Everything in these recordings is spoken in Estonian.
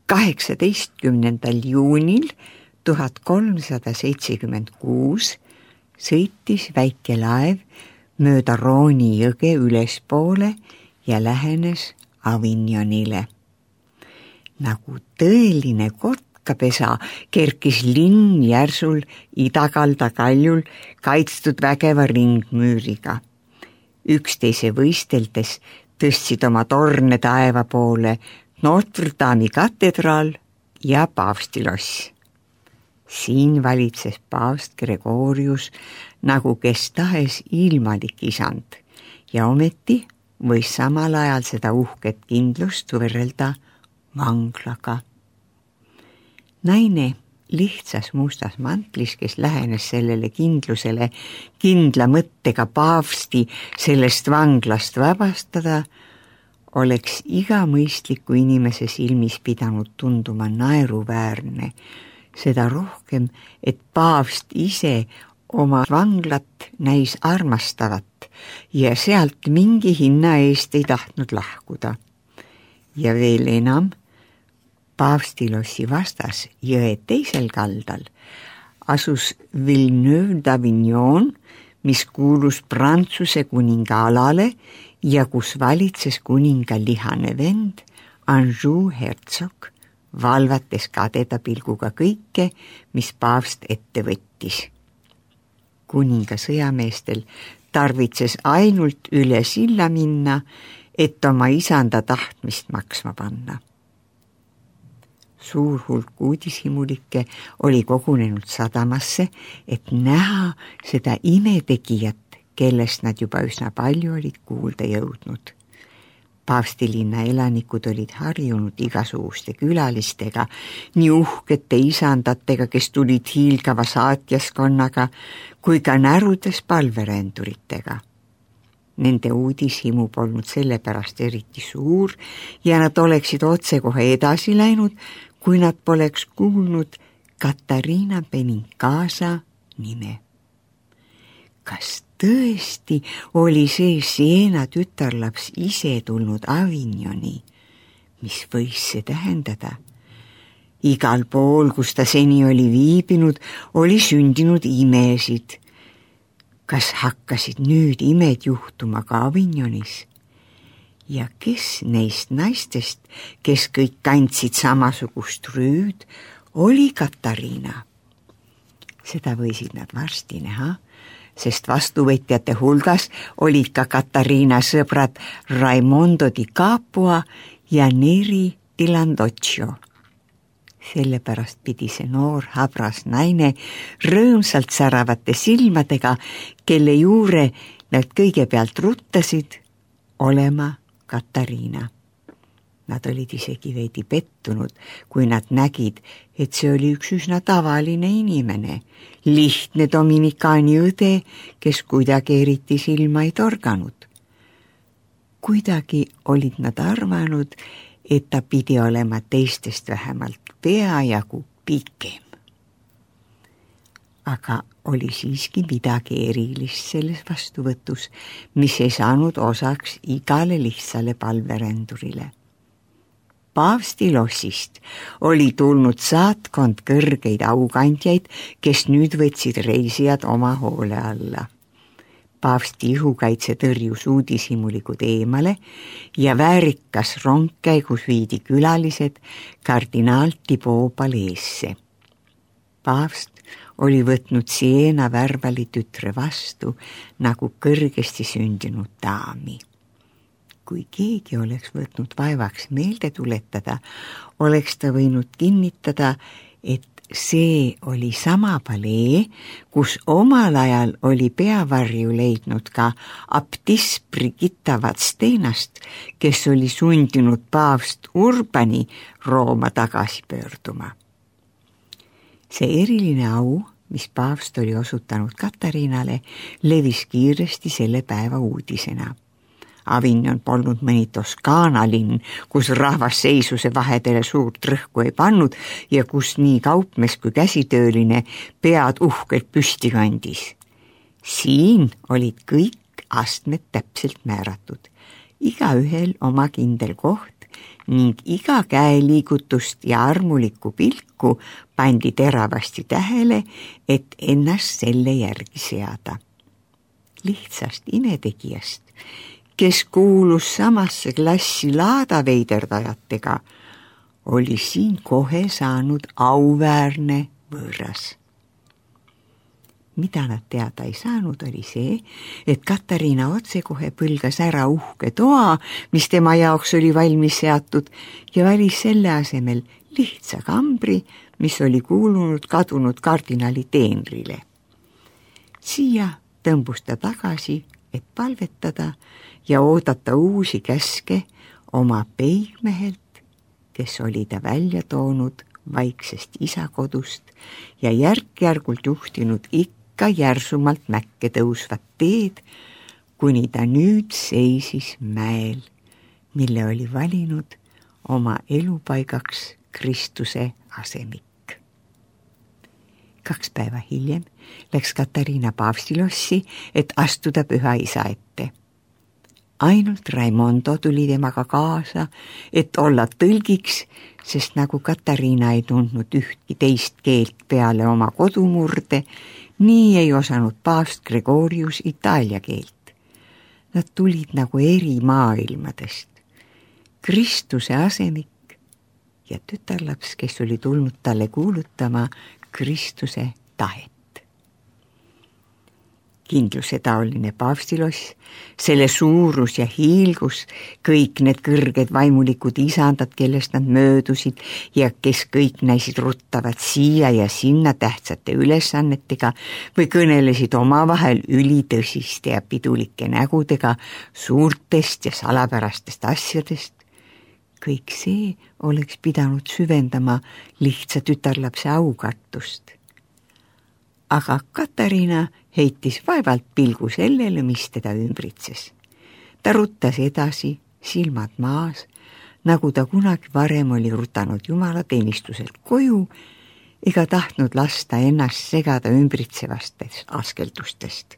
18. juunil 1376 sõitis väike laev mööda Rooni jõge ülespoole ja lähenes Avignonile. Nagu tõeline kotkapesa kerkis linn järsul idakalda kaljul kaitstud vägeva ringmüüriga. Üksteise võisteldes tõstsid oma torne taeva poole Notre Dame'i katedraal ja paavstiloss. Siin valitses paavst Gregorius nagu kes tahes ilmalik isand ja ometi võis samal ajal seda uhket kindlust võrrelda vanglaga. Naine lihtsas mustas mantlis, kes lähenes sellele kindlusele kindla mõttega paavsti sellest vanglast vabastada, oleks iga mõistliku inimese silmis pidanud tunduma naeruväärne, seda rohkem, et paavst ise oma vanglat näis armastavat ja sealt mingi hinna eest ei tahtnud lahkuda. Ja veel enam, paavstilossi vastas jõe teisel kaldal asus Villeneuve d'Avignon, mis kuulus Prantsuse kuninga alale ja kus valitses kuninga lihane vend Anjou hertsog, valvates kadeda pilguga kõike, mis paavst ette võttis. Kuninga sõjameestel tarvitses ainult üle silla minna, et oma isanda tahtmist maksma panna. Suur hulk uudishimulikke oli kogunenud sadamasse, et näha seda imetegijat, kellest nad juba üsna palju olid kuulda jõudnud. Paavstilinna elanikud olid harjunud igasuguste külalistega, nii uhkete isandatega, kes tulid hiilgava saatjaskonnaga, kui ka närudes palverenduritega. Nende uudishimu polnud sellepärast eriti suur ja nad oleksid otsekohe edasi läinud, kui nad poleks kuulnud Katariina Benincasa nime. Kas tõesti oli see Siena tütarlaps ise tulnud Avignoni? Mis võis see tähendada? Igal pool, kus ta seni oli viibinud, oli sündinud imesid. Kas hakkasid nüüd imed juhtuma ka Avignonis? Ja kes neist naistest, kes kõik kandsid samasugust rüüd, oli Katariina? Seda võisid nad varsti näha, sest vastuvõtjate hulgas olid ka Katariina sõbrad Raimondo di Capua ja Neri di Landocchio. Sellepärast pidi see noor habras naine rõõmsalt säravate silmadega, kelle juure nad kõigepealt ruttasid, olema Katariina. Nad olid isegi veidi pettunud, kui nad nägid, et see oli üks üsna tavaline inimene, lihtne dominikaani õde, kes kuidagi eriti silma ei torganud. Kuidagi olid nad arvanud, et ta pidi olema teistest vähemalt peajagu pikem. Aga oli siiski midagi erilist selles vastuvõtus, mis ei saanud osaks igale lihtsale palverendurile. Paavstilossist oli tulnud saatkond kõrgeid aukandjaid, kes nüüd võtsid reisijad oma hoole alla. Paavsti ihukaitse tõrjus uudishimulikud eemale ja väärikas rongkäigus viidi külalised kardinaal Thibaut paleesse. Paavst oli võtnud Siena värvali tütre vastu nagu kõrgesti sündinud daami. Kui keegi oleks võtnud vaevaks meelde tuletada, oleks ta võinud kinnitada, et see oli sama palee, kus omal ajal oli peavarju leidnud ka abtiss Brigitta Vadstenast, kes oli sundinud paavst Urbani Rooma tagasi pöörduma. See eriline au, mis paavst oli osutanud Katariinale, levis kiiresti selle päeva uudisena. Avignon polnud mõni Toskaana linn, kus rahvas seisuse vahedele suurt rõhku ei pannud ja kus nii kaupmees kui käsitööline pead uhkelt püsti kandis. Siin olid kõik astmed täpselt määratud, igaühel oma kindel koht ning iga käeliigutust ja armulikku pilku pandi teravasti tähele, et ennast selle järgi seada. Lihtsast imetegijast, kes kuulus samasse klassi laadaveiderdajatega, oli siin kohe saanud auväärne võõras. Mida nad teada ei saanud, oli see, et Katariina otsekohe põlgas ära uhke toa, mis tema jaoks oli valmis seatud, ja valis selle asemel lihtsa kambri, mis oli kuulunud kadunud kardinali teenrile. Siia tõmbus ta tagasi, et palvetada ja oodata uusi käske oma peigmehelt, kes oli ta välja toonud vaiksest isakodust ja järk-järgult juhtinud ikka järsumalt mäkke tõusvat teed, kuni ta nüüd seisis mäel, mille oli valinud oma elupaigaks Kristuse asemik. 2 päeva hiljem läks Katariina paavstilossi, et astuda püha isa ette. Ainult Raimondo tuli temaga kaasa, et olla tõlgiks, sest nagu Katariina ei tundnud ühtki teist keelt peale oma kodumurde, nii ei osanud paavst Gregorius itaalia keelt. Nad tulid nagu eri maailmadest. Kristuse asemik ja tütarlaps, kes oli tulnud talle kuulutama Kristuse tahet. Kindlusetaoline paavstiloss, selle suurus ja hiilgus, kõik need kõrged vaimulikud isandad, kellest nad möödusid ja kes kõik näisid ruttavat siia ja sinna tähtsate ülesannetega või kõnelesid omavahel ülitõsiste ja pidulike nägudega suurtest ja salapärastest asjadest. Kõik see oleks pidanud süvendama lihtsa tütarlapse aukartust. Aga Katariina heitis vaevalt pilgu sellele, mis teda ümbritses. Ta ruttas edasi, silmad maas, nagu ta kunagi varem oli rutanud jumalateenistuselt koju ega tahtnud lasta ennast segada ümbritsevastest askeldustest.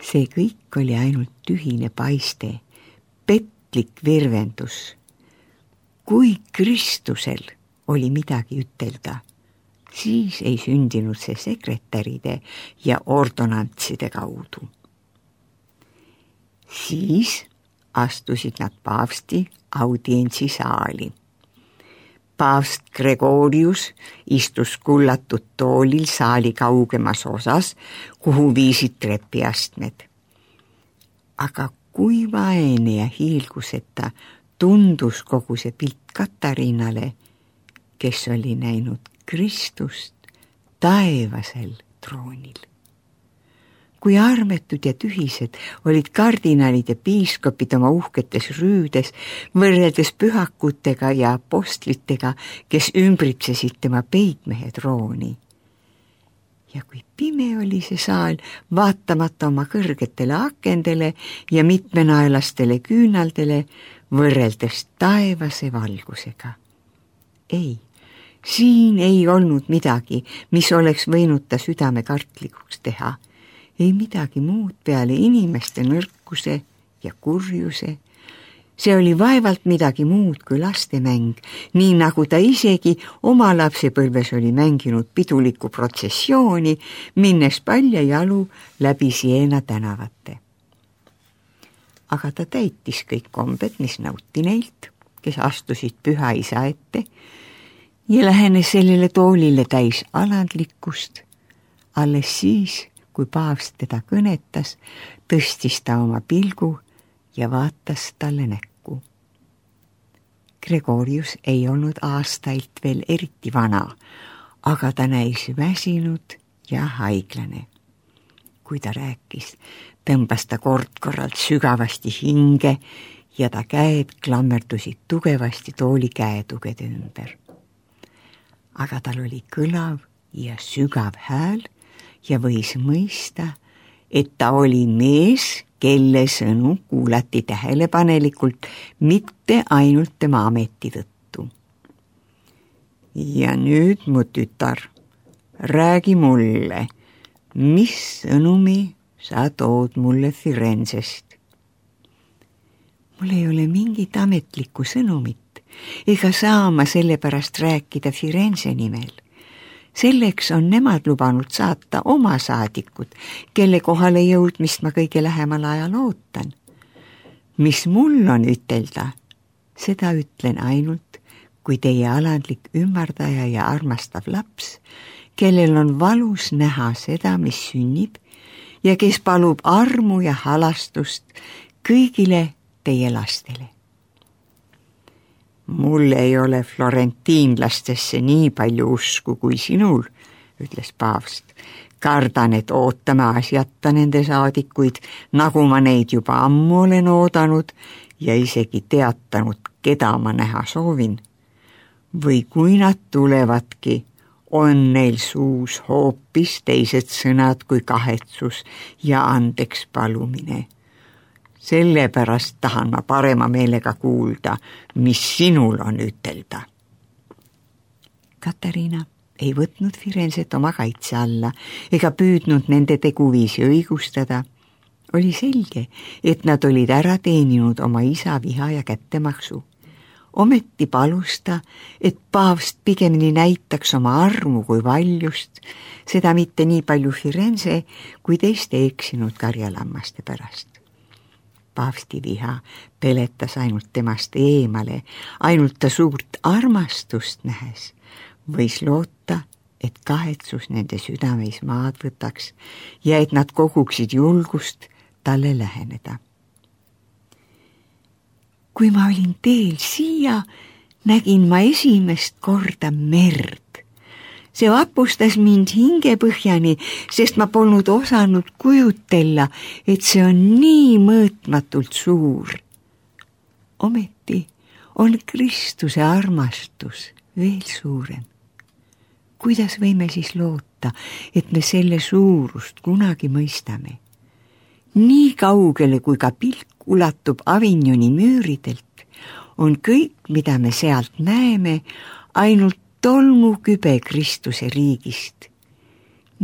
See kõik oli ainult tühine paiste, petlik virvendus. Kui Kristusel oli midagi ütelda, siis ei sündinud see sekretäride ja ordonantside kaudu. Siis astusid nad paavsti audientsisaali. Paavst Gregorius istus kullatud toolil saali kaugemas osas, kuhu viisid trepiastmed. Aga kui vaene ja hiilguseta tundus kogu see pilt Katariinale, kes oli näinud Kristust taevasel troonil. Kui armetud ja tühised olid kardinalid ja piiskopid oma uhketes rüüdes võrreldes pühakutega ja apostlitega, kes ümbritsesid tema peigmehe trooni. Ja kui pime oli see saal, vaatamata oma kõrgetele akendele ja mitmenaelastele küünaldele, võrreldes taevase valgusega. Ei, siin ei olnud midagi, mis oleks võinud ta südame kartlikuks teha. Ei midagi muud peale inimeste nõrkuse ja kurjuse. See oli vaevalt midagi muud kui lastemäng, nii nagu ta isegi oma lapsepõlves oli mänginud pidulikku protsessiooni, minnes paljajalu läbi Siena tänavate. Aga ta täitis kõik kombed, mis nõuti neilt, kes astusid püha isa ette, ja lähenes sellele toolile täis alandlikkust. Alles siis, kui paavst teda kõnetas, tõstis ta oma pilgu ja vaatas talle näkku. Gregorius ei olnud aastailt veel eriti vana, aga ta näis väsinud ja haiglane. Kui ta rääkis, tõmbas ta kord-korralt sügavasti hinge ja ta käed klammerdusid tugevasti tooli käetugede ümber. Aga tal oli kõlav ja sügav hääl ja võis mõista, et ta oli mees, kelle sõnu kuulati tähelepanelikult, mitte ainult tema ameti tõttu. Ja nüüd, mu tütar, räägi mulle, mis sõnumi sa tood mulle Firenzest? Mul ei ole mingit ametlikku sõnumit ega saa ma sellepärast rääkida Firenze nimel. Selleks on nemad lubanud saata oma saadikud, kelle kohale jõudmist ma kõige lähemal ajal ootan. Mis mul on ütelda, seda ütlen ainult, kui teie alandlik ümardaja ja armastav laps, kellel on valus näha seda, mis sünnib ja kes palub armu ja halastust kõigile teie lastele. Mul ei ole florentiinlastesse nii palju usku kui sinul, ütles paavst. Kardan, et ootame asjata nende saadikuid, nagu ma neid juba ammu olen oodanud ja isegi teatanud, keda ma näha soovin. Või kui nad tulevadki, on neil suus hoopis teised sõnad kui kahetsus ja andeks palumine. Sellepärast tahan ma parema meelega kuulda, mis sinul on ütelda. Katariina ei võtnud Firenzet oma kaitse alla ega püüdnud nende teguviisi õigustada. Oli selge, et nad olid ära teeninud oma isa viha ja kättemaksu. Ometi palus ta, et paavst pigemini näitaks oma armu kui valjust, seda mitte nii palju Firenze kui teiste eksinud karjalammaste pärast. Paavsti viha peletas ainult temast eemale, ainult ta suurt armastust nähes. Võis loota, et kahetsus nende südameis maad võtaks ja et nad koguksid julgust talle läheneda. Kui ma olin teel siia, nägin ma esimest korda merd. See vapustas mind hingepõhjani, sest ma polnud osanud kujutella, et see on nii mõõtmatult suur. Ometi on Kristuse armastus veel suurem. Kuidas võime siis loota, et me selle suurust kunagi mõistame? Nii kaugele, kui ka pilk ulatub Avignoni müüridelt, on kõik, mida me sealt näeme, ainult tolmukübe Kristuse riigist.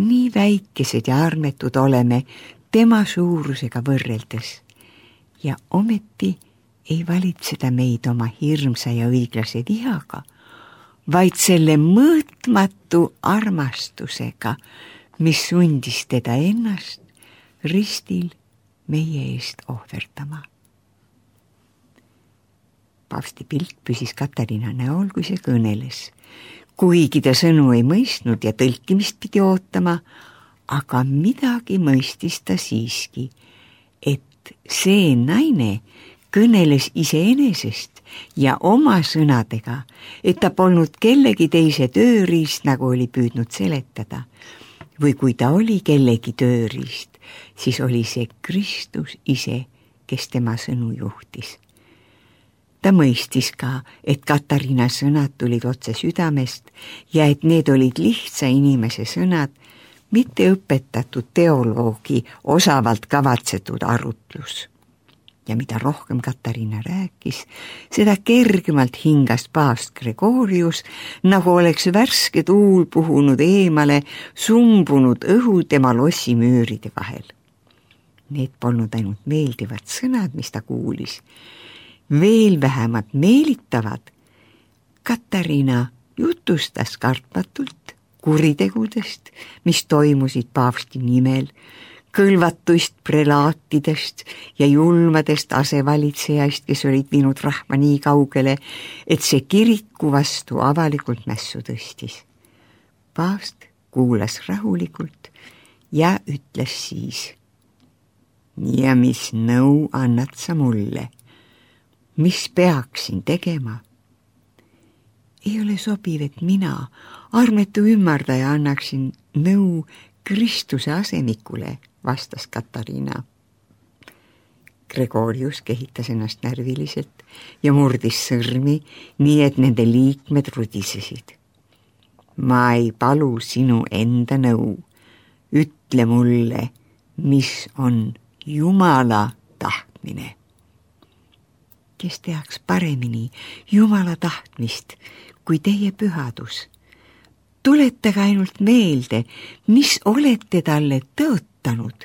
Nii väikesed ja armetud oleme tema suurusega võrreldes ja ometi ei valitseda meid oma hirmsa ja õiglase vihaga, vaid selle mõõtmatu armastusega, mis sundis teda ennast ristil meie eest ohverdama. Paavsti pilk püsis Katariina näol, kui see kõneles. Kuigi ta sõnu ei mõistnud ja tõlkimist pidi ootama, aga midagi mõistis ta siiski, et see naine kõneles iseenesest ja oma sõnadega, et ta polnud kellegi teise tööriist, nagu oli püüdnud seletada. Või kui ta oli kellegi tööriist, siis oli see Kristus ise, kes tema sõnu juhtis. Ta mõistis ka, et Katariina sõnad tulid otse südamest ja et need olid lihtsa inimese sõnad, mitte õpetatud teoloogi osavalt kavatsetud arutlus. Ja mida rohkem Katariina rääkis, seda kergemalt hingas paavst Gregorius, nagu oleks värske tuul puhunud eemale sumbunud õhu tema lossi müüride vahel. Need polnud ainult meeldivad sõnad, mis ta kuulis. Veel vähemalt meelitavad. Katariina jutustas kartmatult kuritegudest, mis toimusid paavsti nimel, kõlvatuist prelaatidest ja julmadest asevalitsejaist, kes olid viinud rahva nii kaugele, et see kiriku vastu avalikult mässu tõstis. Paavst kuulas rahulikult ja ütles siis: ja mis nõu annad sa mulle? Mis peaksin tegema? Ei ole sobiv, et mina, armetu ümardaja, annaksin nõu Kristuse asemikule, vastas Katariina. Gregorius kehitas ennast närviliselt ja murdis sõrmi, nii et nende liikmed rudisesid. Ma ei palu sinu enda nõu. Ütle mulle, mis on Jumala tahtmine. Kes teaks paremini Jumala tahtmist kui teie pühadus? Tuletage ainult meelde, mis olete talle tõotanud.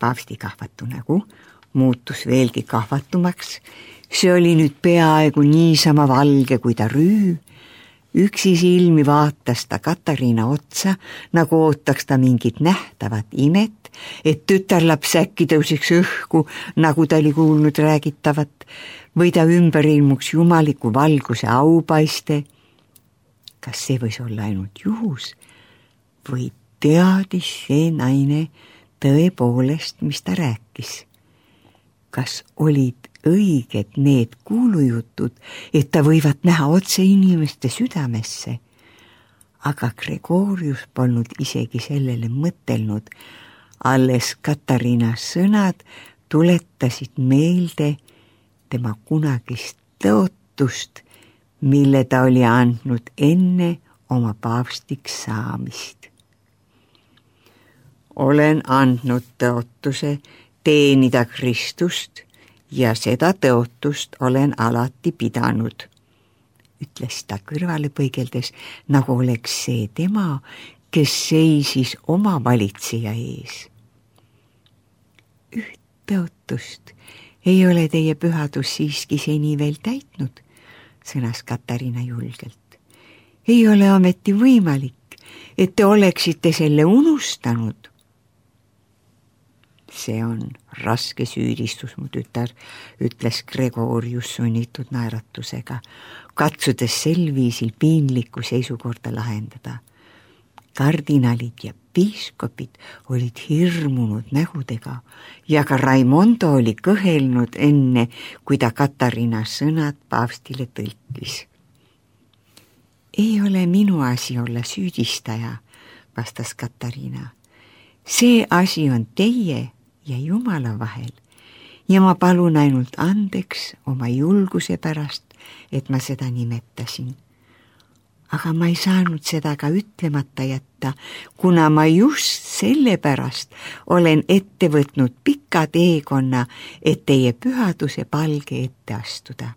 Paavsti kahvatu nägu muutus veelgi kahvatumaks. See oli nüüd peaaegu niisama valge kui ta rüü. Üksi silmi vaatas ta Katariina otsa, nagu ootaks ta mingit nähtavat imet, et tütarlaps äkki tõusiks õhku, nagu ta oli kuulnud räägitavat, või ta ümber ilmuks jumaliku valguse aupaiste. Kas see võis olla ainult juhus või teadis see naine tõepoolest, mis ta rääkis? Kas olid õiged need kuulujutud, et ta võivad näha otse inimeste südamesse? Aga Gregorius polnud isegi sellele mõtelnud. Alles Katariina sõnad tuletasid meelde tema kunagist tõotust, mille ta oli andnud enne oma paavstiks saamist. Olen andnud tõotuse teenida Kristust ja seda tõotust olen alati pidanud, ütles ta kõrvale põigeldes, nagu oleks see tema, kes seisis oma valitseja ees. Üht tõotust ei ole teie pühadus siiski seni veel täitnud, sõnas Katariina julgelt. Ei ole ometi võimalik, et te oleksite selle unustanud. See on raske süüdistus, mu tütar, ütles Gregorius sunnitud naeratusega, katsudes sel viisil piinlikku seisukorda lahendada. Kardinalid ja piiskopid olid hirmunud nägudega ja ka Raimondo oli kõhelnud enne, kui ta Katariina sõnad paavstile tõlkis. Ei ole minu asi olla süüdistaja, vastas Katariina. See asi on teie ja Jumala vahel ja ma palun ainult andeks oma julguse pärast, et ma seda nimetasin. Aga ma ei saanud seda ka ütlemata jätta, kuna ma just sellepärast olen ette võtnud pika teekonna, et teie pühaduse palge ette astuda.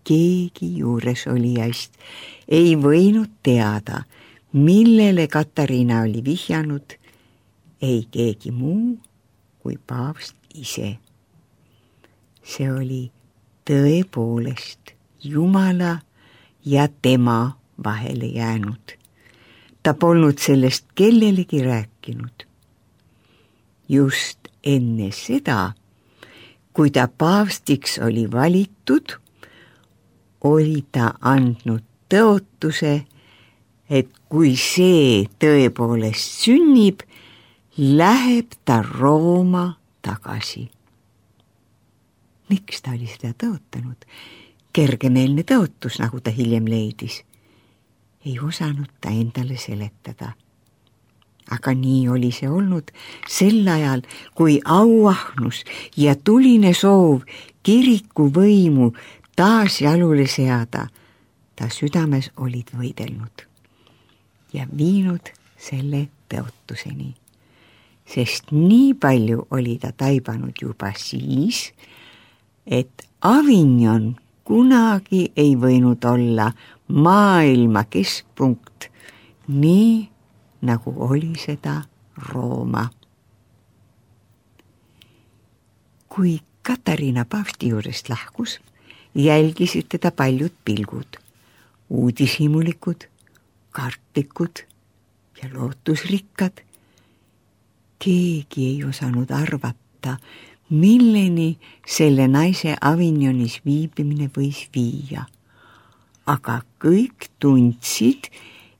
Keegi juures olijaist ei võinud teada, millele Katariina oli vihjanud, ei keegi muu kui paavst ise. See oli tõepoolest Jumala ja tema vahele jäänud. Ta polnud sellest kellelegi rääkinud. Just enne seda, kui ta paavstiks oli valitud, oli ta andnud tõotuse, et kui see tõepoolest sünnib, läheb ta Rooma tagasi. Miks ta oli seda tõotanud? Kergemeelne tõotus, nagu ta hiljem leidis. Ei osanud ta endale seletada. Aga nii oli see olnud sel ajal, kui auahnus ja tuline soov kiriku võimu taas jalule seada, ta südames olid võidelnud ja viinud selle tõotuseni. Sest nii palju oli ta taibanud juba siis, et Avignon kunagi ei võinud olla maailma keskpunkt, nii nagu oli seda Rooma. Kui Katariina paavsti juurest lahkus, jälgisid teda paljud pilgud, uudishimulikud, kartlikud ja lootusrikkad. Keegi ei osanud arvata, milleni selle naise Avignonis viibimine võis viia. Aga kõik tundsid,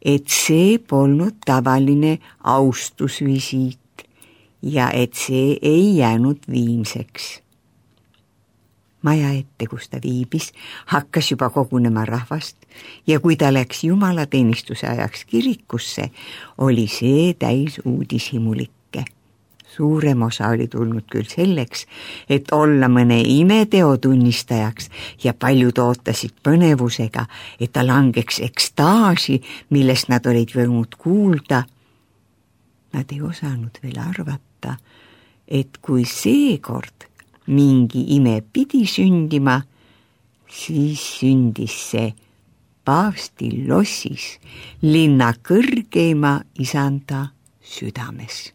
et see polnud tavaline austusvisiit ja et see ei jäänud viimseks. Maja ette, kus ta viibis, hakkas juba kogunema rahvast ja kui ta läks jumalateenistuse ajaks kirikusse, oli see täis uudishimulikke. Suurem osa oli tulnud küll selleks, et olla mõne imeteo tunnistajaks ja paljud ootasid põnevusega, et ta langeks ekstaasi, millest nad olid võinud kuulda. Nad ei osanud veel arvata, et kui seekord mingi ime pidi sündima, siis sündis see paavsti lossis, linna kõrgeima isanda südames.